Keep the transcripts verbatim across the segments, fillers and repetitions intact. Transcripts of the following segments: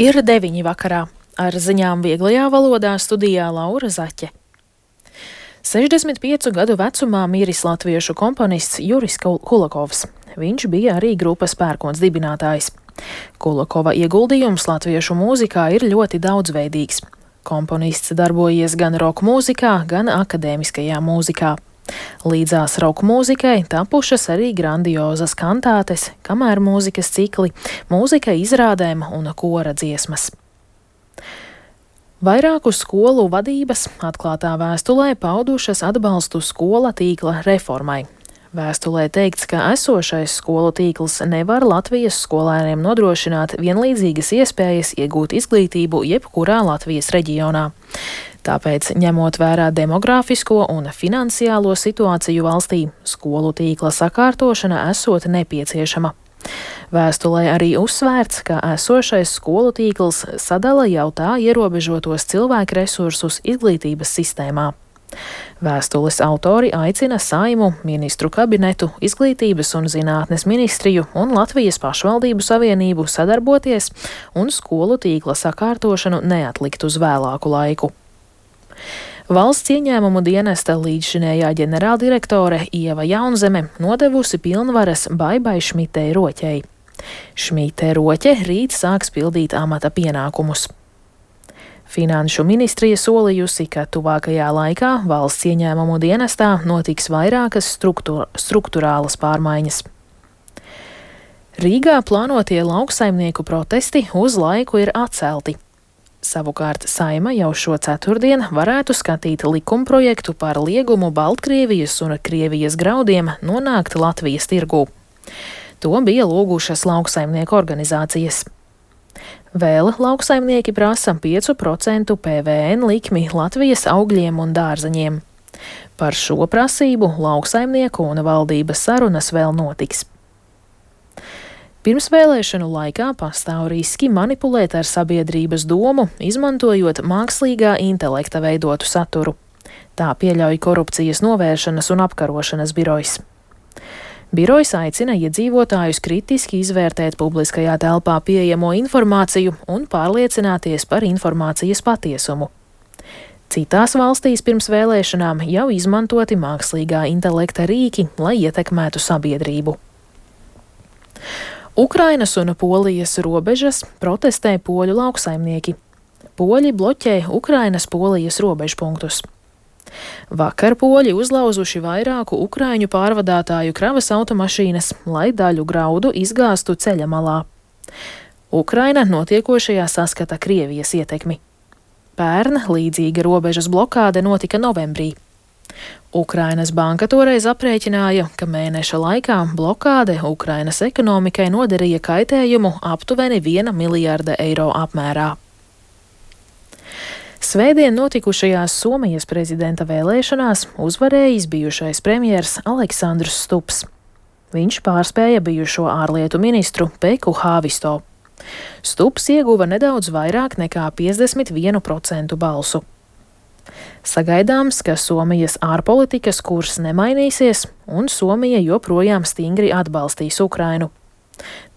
Ir deviņi vakarā. Ar ziņām vieglajā valodā studijā Laura Zaķe. sešdesmit piecu gadu vecumā miris latviešu komponists Juris Kulakovs. Viņš bija arī grupas Pērkons dibinātājs. Kulakova ieguldījums latviešu mūzikā ir ļoti daudzveidīgs. Komponists darbojies gan roka mūzikā, gan akadēmiskajā mūzikā. Līdzās roka mūzikai tapušas arī grandiozas kantātes, kamēr mūzikas cikli, mūzika izrādēm un kora dziesmas. Vairāku skolu vadības atklātā vēstulē paudušas atbalstu skola tīkla reformai. Vēstulē teikts, ka esošais skolu tīkls nevar Latvijas skolēniem nodrošināt vienlīdzīgas iespējas iegūt izglītību jebkurā Latvijas reģionā. Tāpēc, ņemot vērā demogrāfisko un finansiālo situāciju valstī, skolu tīkla sakārtošana esot nepieciešama. Vēstulē arī uzsvērts, ka esošais skolu tīkls sadala jau tā ierobežotos cilvēku resursus izglītības sistēmā. Vēstules autori aicina Saeimu, Ministru kabinetu, Izglītības un zinātnes ministriju un Latvijas pašvaldību savienību sadarboties un skolu tīkla sakārtošanu neatlikt uz vēlāku laiku. Valsts ieņēmumu dienesta līdzšinējā ģenerāldirektore Ieva Jaunzeme nodevusi pilnvaras Baibai Šmitei Roķei. Šmite Roķe rīt sāks pildīt amata pienākumus. Finanšu ministrija solījusi, ka tuvākajā laikā valsts ieņēmumu dienestā notiks vairākas struktūra, struktūrālas pārmaiņas. Rīgā plānotie lauksaimnieku protesti uz laiku ir atcelti. Savukārt Saeima jau šo ceturtdienu varētu skatīt likumprojektu par liegumu Baltkrievijas un Krievijas graudiem nonākt Latvijas tirgū. To bija lūgušas lauksaimnieku organizācijas. Vēl lauksaimnieki prasa pieci procenti P V N likmi Latvijas augļiem un dārzeņiem. Par šo prasību lauksaimnieku un valdības sarunas vēl notiks. Pirmsvēlēšanu laikā pastāv riski manipulēt ar sabiedrības domu, izmantojot mākslīgā intelekta veidotu saturu. Tā pieļauj Korupcijas novēršanas un apkarošanas birojs. Birojs aicina iedzīvotājus kritiski izvērtēt publiskajā telpā pieejamo informāciju un pārliecināties par informācijas patiesumu. Citās valstīs pirms vēlēšanām jau izmantoti mākslīgā intelekta rīki, lai ietekmētu sabiedrību. Ukrainas un Polijas robežas protestē poļu lauksaimnieki. Poļi bloķē Ukrainas-Polijas robežpunktus. Vakar poļi uzlauzuši vairāku ukraiņu pārvadātāju kravas automašīnas, lai daļu graudu izgāstu ceļa malā. Ukraina notiekošajā saskata Krievijas ietekmi. Pērn līdzīga robežas blokāde notika novembrī. Ukrainas banka toreiz aprēķināja, ka mēneša laikā blokāde Ukrainas ekonomikai nodarīja kaitējumu aptuveni viena miljarda eiro apmērā. Svētdien notikušajās Somijas prezidenta vēlēšanās uzvarējis bijušais premjers Aleksandrs Stubs. Viņš pārspēja bijušo ārlietu ministru Pekku Haavisto. Stubs ieguva nedaudz vairāk nekā piecdesmit vienu procentu balsu. Sagaidāms, ka Somijas ārpolitikas kurs nemainīsies, un Somija joprojām stingri atbalstīs Ukrainu.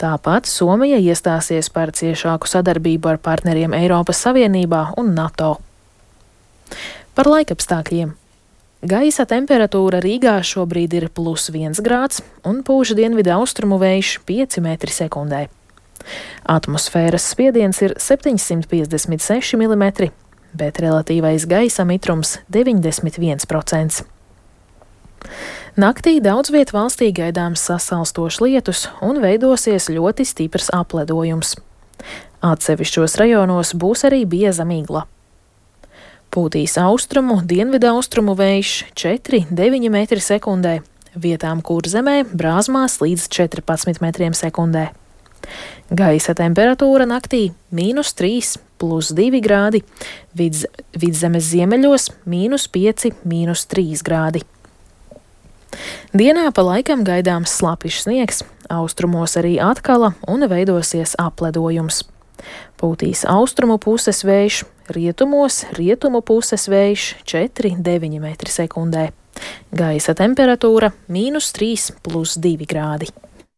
Tāpat Somija iestāsies par ciešāku sadarbību ar partneriem Eiropas Savienībā un NATO. Par laikapstākļiem. Gaisa temperatūra Rīgā šobrīd ir plus viens grāds un pūš dienvidu austrumu vējš pieci metri sekundē. Atmosfēras spiediens ir septiņsimt piecdesmit seši milimetri, bet relatīvais gaisa mitrums deviņdesmit viens procents. Naktī daudz viet valstī gaidāms sasalstošs lietus un veidosies ļoti stiprs apledojums. Atsevišķos rajonos būs arī bieza migla. Pūtīs austrumu, dienvidu austrumu vējš četri līdz deviņi metri sekundē, vietām Kurzemē brāzmās līdz četrpadsmit metriem sekundē. Gaisa temperatūra naktī mīnus trīs, plus divi grādi, vidz, vidzemes ziemeļos mīnus pieci, mīnus trīs grādi. Dienā pa laikam gaidāms slapjš sniegs, austrumos arī atkala un veidosies apledojums. Pūtīs austrumu puses vējš, rietumos rietumu puses vējš četri līdz deviņi metri sekundē. Gaisa temperatūra mīnus trīs, plus divi grādi.